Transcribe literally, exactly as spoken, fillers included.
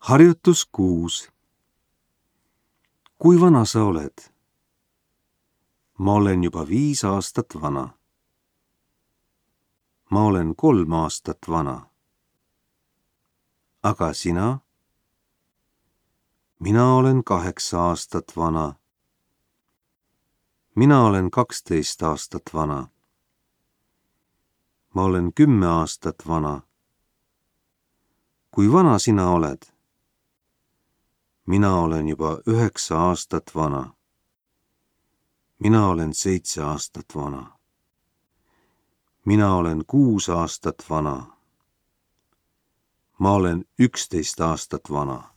Harjutus kuus. Kui vana sa oled? Ma olen juba viis aastat vana. Ma olen kolm aastat vana. Aga sina? Mina olen kaheksa aastat vana. Mina olen kaksteist aastat vana. Ma olen kümme aastat vana. Kui vana sina oled? Mina olen juba üheksa aastat vana. Mina olen seitse aastat vana. Mina olen kuus aastat vana. Ma olen üksteist aastat vana.